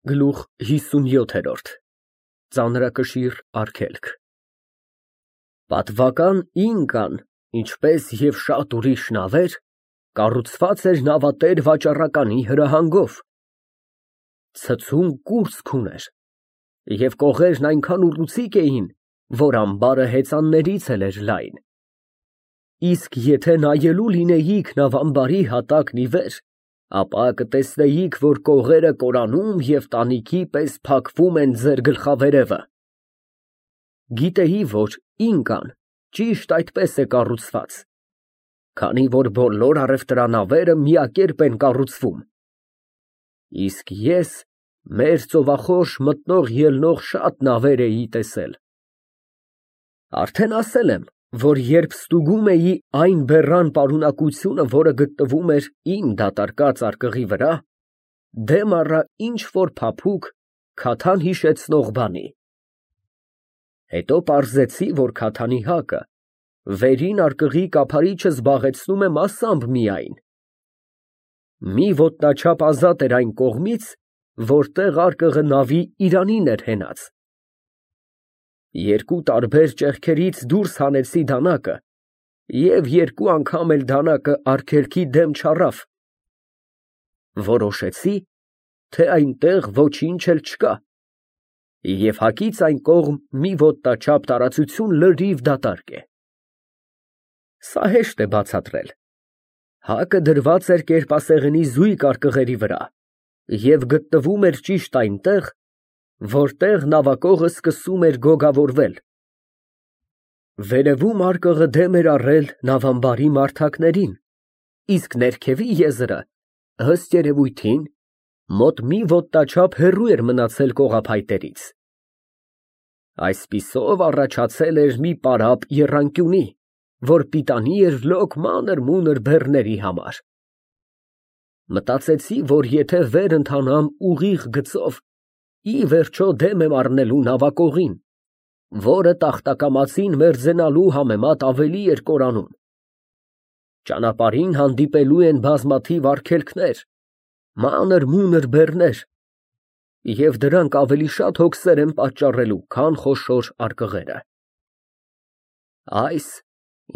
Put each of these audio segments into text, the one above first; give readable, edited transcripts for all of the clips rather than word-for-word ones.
Գլուխ 57 Ծանրակշիռ արգելք Պատվական Ինկան, ինչպես և շատ ուրիշ նավեր, կառուցված էր նավատեր վաճառականի հրահանգով, ցցում կուրծք ուներ, և կողերն այնքան ուռուցիկ էին, որ ամբարը հեծաններից էլ էր լայն, իսկ եթե նայելու լինեիք նավամբարի հատակն ի վեր, ապա կտեսնեիք, որ կողերը կորանում և տանիքի պես փակվում են ձեր գլխավերևը։ Գիտեի, որ Ինկան ճիշտ այդպես է կառուցված, քանի որ բոլոր առևտրանավերը միակերպ են կառուցվում, իսկ ես մեր ծովախորշ մտնող֊ելնող շատ նավեր էի տեսել։ Արդեն ասել եմ, որ երբ ստուգում էի այն բեռան պարունակությունը, որը գտնվում էր իմ դատարկած արկղի վրա, դեմ առա ինչ֊որ փափուկ, քաթան հիշեցնող բանի։ Հետո պարզեցի, որ քաթանի հակը վերին արկղի կափարիչը զբաղեցնում է մասամբ միայն։ Մի ոտնաչափ ազատ էր այն կողմից, որտեղ արկղը նավի իրանին էր հենած։ Երկու տարբեր ճեղքերից դուրս հանեցի դանակը և երկու անգամ էլ դանակը արգելքի դեմ չառավ։ Որոշեցի, թե այնտեղ ոչինչ էլ չկա, և հակից այն կողմ մի ոտնաչափ տարածություն լրիվ դատարկ է։ Սա հեշտ է բացատրել։ Հակը դրված էր կերպասեղենի զույգ արկղերի վրա և գտնվում էր ճիշտ այնտեղ, որտեղ նավակողը սկսում էր գոգավորվել։ Վերևում արկղը դեմ էր առել նավամբարի մարդակներին, իսկ ներքևի եզրը, ըստ երևույթին, մոտ մի ոտնաչափ հեռու էր մնացել կողափայտերից։ Այսպիսով առաջացել էր մի պարապ եռանկյունի, որ պիտանի էր լոկ մանր֊մունր բեռների համար։ Մտածեցի, որ եթե վեր ընթանամ ուղիղ գծով, ի վերջո դեմ եմ առնելու նավակողին, որը տախտակամածին մերձենալու համեմատ ավելի էր կորանում։ Ճանապարհին հանդիպելու են բազմաթիվ արգելքներ, մանր֊մունր բեռներ, և դրանք ավելի շատ հոգսեր են պատճառելու, քան խոշոր արկղերը։ Այս,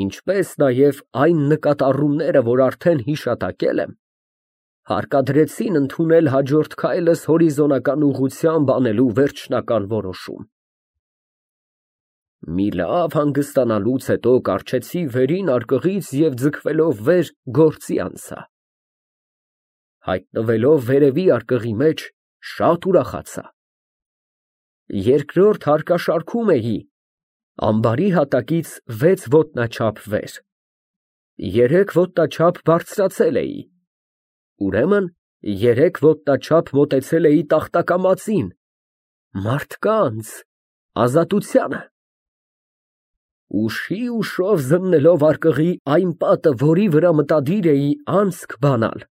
ինչպես նաև այն նկատառումները, որ արդեն հիշատակել եմ, հարկադրեցին ընդունել հաջորդ քայլս հորիզոնական ուղղությամբ անելու վերջնական որոշում։ Մի լավ հանգստանալուց հետո կառչեցի վերին արկղից և ձգվելով վեր գործի անցա։ Հայտնվելով վերևի արկղի մեջ, շատ ուրախացա։ Երկրորդ հարկաշարքում էի, ամբարի հատակից 6 ոտնաչափ վեր, 3 ոտնաչափ բարձրացել էի, ուրեմն 3 ոտնաչափ մոտեցել էի տախտակամածին, մարդկանց, ազատությանը։ Ուշի֊ուշով զննելով արկղի այն պատը, որի վրա մտադիր էի անցք բանալ,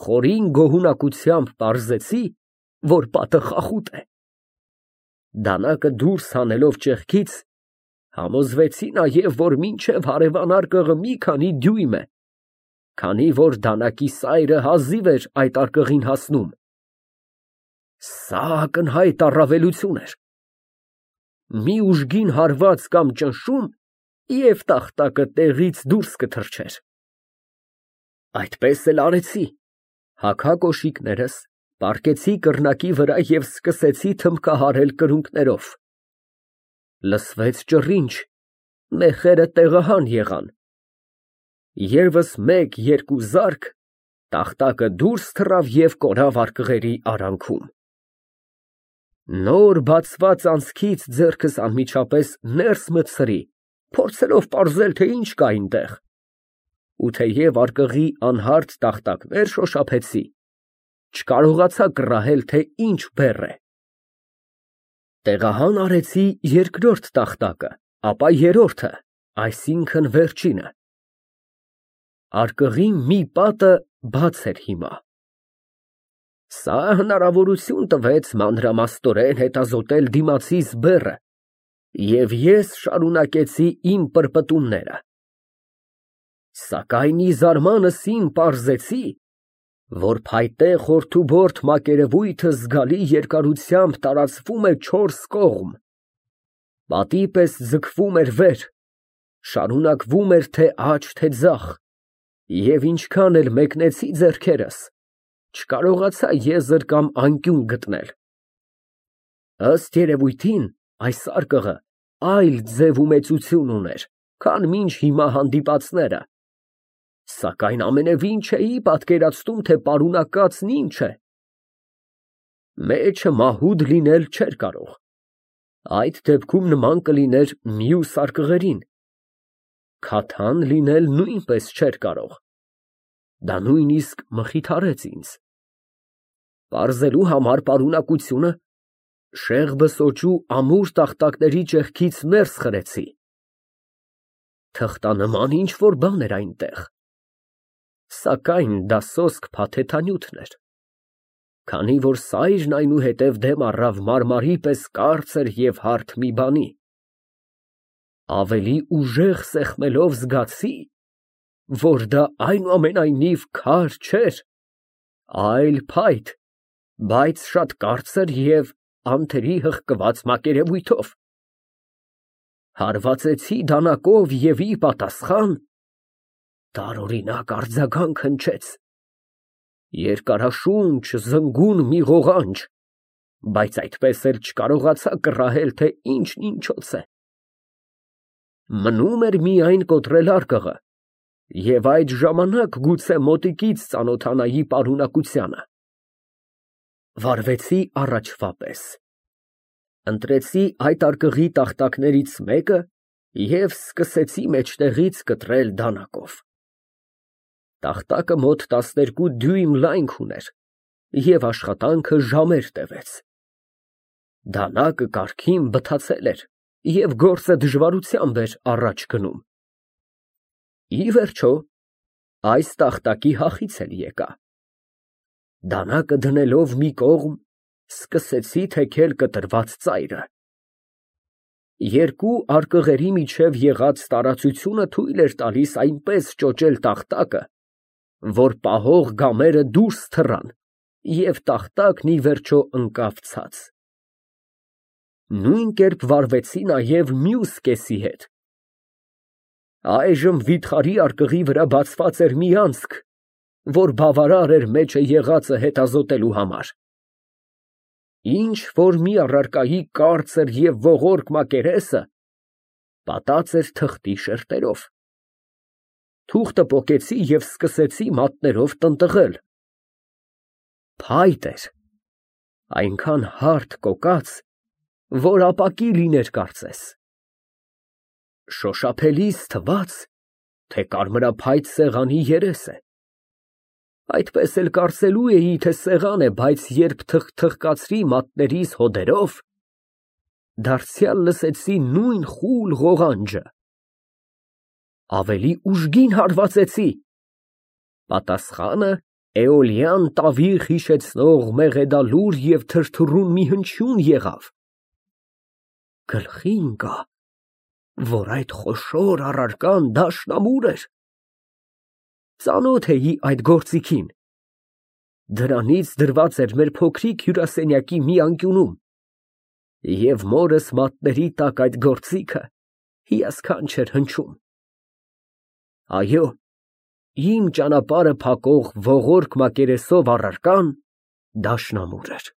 խորին գոհունակությամբ պարզեցի, որ պատը խախուտ է։ Դանակը դուրս հանելով ճեղքից, համոզվեցի նաև, որ մինչև հարևան արկղը մի քանի դյույմ է, քանի որ դանակի սայրը հազիվ էր այդ արկղին հասնում։ Սա ակնհայտ առավելություն էր։ Մի ուժգին հարված կամ ճնշում, և տախտակը տեղից դուրս կթռչեր։ Այդպես էլ արեցի, հագա կոշիկներս, պառկեցի կռնակի վրա և սկսեցի թմբկահարել կրունկներով։ Լսվեց ճռինչ, մեխերը տեղահան եղան։ ԵՒս մեկ֊երկու զարկ, տախտակը դուրս թռավ և կորավ արկղերի արանքում։ Նոր բացված անցքից ձեռքս անմիջապես ներս մտցրի, փորձելով պարզել, թե ինչ կա այնտեղ, ու թեև արկղի անհարդ տախտակներ շոշափեցի, չկարողացա կռահել, թե ինչ բեռ է։ Տեղահան արեցի երկրորդ տախտակը, ապա երրորդը, այսինքն վերջինը։ Արկղի մի պատը բաց էր հիմա։ Սա հնարավորություն տվեց մանրամասնորեն հետազոտել դիմացիս բեռը, և ես շարունակեցի իմ պրպտումները։ Սակայն ի զարմանս իմ պարզեցի, որ փայտե խորթուբորդ մակերևույթը զգալի երկարությամբ տարածվում է 4 կողմ, պատի պես ձգվում էր վեր, շարունակվում էր թե աջ, թե ձախ, և ինչքան էլ մեկնեցի ձեռքերս, չկարողացա եզր կամ անկյուն գտնել։ Ըստ երևույթին, այս սարկղը այլ ձև ու մեծություն ուներ, քան մինչ հիմա հանդիպածները, սակայն ամենևին չէի պատկերացնում, թե պարունակածն ինչ է։ Մեջը մահուդ լինել չէր կարող, այդ դեպքում նման կլիներ մյուս սարկղերին, քաթան լինել նույնպես չէր կարող, դա նույնիսկ մխիթարեց ինձ։ Պարզելու համար պարունակությունը շեղբը ամուր տախտակների ճեղքից ներս խրեցի։ Թղթանման ինչ-որ բան էր այնտեղ, սակայն դա սոսկ փաթեթանյութն էր, քանի որ սայրն այնուհետև դեմ առավ մարմարի պես կարծր և հարթ մի բանի։ Ավելի ուժեղ սեղմելով զգացի, որ դա այնուամենայնիվ քար չէր, այլ փայտ, բայց շատ կարծր և անթերի հղկված մակերևույթով։ Հարվածեցի դանակով և ի պատասխան տարօրինակ արձագանք հնչեց, երկարաշունչ, զնգուն մի ղողանջ, բայց այդպես էլ չկարողացա կռահել, թե ինչն ինչոց է։ Մնում էր միայն կոտրել արկղը և այդ ժամանակ գուցե մոտիկից ծանոթանայի պարունակությանը։ Վարվեցի առաջվա պես, ընտրեցի այդ արկղի տախտակներից մեկը և սկսեցի մեջտեղից կտրել դանակով։ Տախտակը մոտ 12 դյույմ լայնք ուներ և աշխատանքը ժամեր տևեց։ Դանակը կարգին բթացել էր և գործը դժվարությամբ էր առաջ գնում։ Ի վերջո, այս տախտակի հախից էլ եկա։ Դանակը դնելով մի կողմ, սկսեցի թեքել կտրված ծայրը։ Երկու արկղերի միջև եղած տարածությունը թույլ էր տալիս այնպես ճոճել տախտակը, որ պահող գամերը դուրս թռան և տախտակն ի վերջո ընկավ ցած։ Նույն կերպ վարվեցի նաև մյուս կեսի հետ։ Այժմ վիթխարի արկղի վրա բացված էր մի անցք, որ բավարար էր մեջը եղածը հետազոտելու համար։ Ինչ որ մի առարկայի կարծր և ողորկ մակերեսը պատած էր թղթի շերտերով։ Թուղթը պոկեցի և սկսեցի մատներով տնտղել։ Փայտ էր, այնքան հարթ կոկած, որ ապակի լիներ կարծես։ Շոշափելիս թվաց, թե կարմրափայտ սեղանի երես է։ Այդպես էլ կարծելու էի, թե սեղան է, բայց երբ թխկացրի մատներիս հոդերով, դարձյալ լսեցի նույն խուլ ղողանջը։ Ավելի ուժգին հարվածեցի։ Պատասխանը էոլյան տավիղ հիշեցնող մեղեդալուր և թրթռուն մի հնչյուն եղավ։ Գլխի ընկա, որ այդ խոշոր առարկան դաշնամուր էր։ Ծանոթ էի այդ գործիքին։ Դրանից դրված էր մեր փոքրիկ հյուրասենյակի մի անկյունում, և մորս մատների տակ այդ գործիքը հիասքանչ էր հնչում։ Այո, իմ ճանապարհը փակող ողորկ մակերեսով առարկան դաշնամուր էր։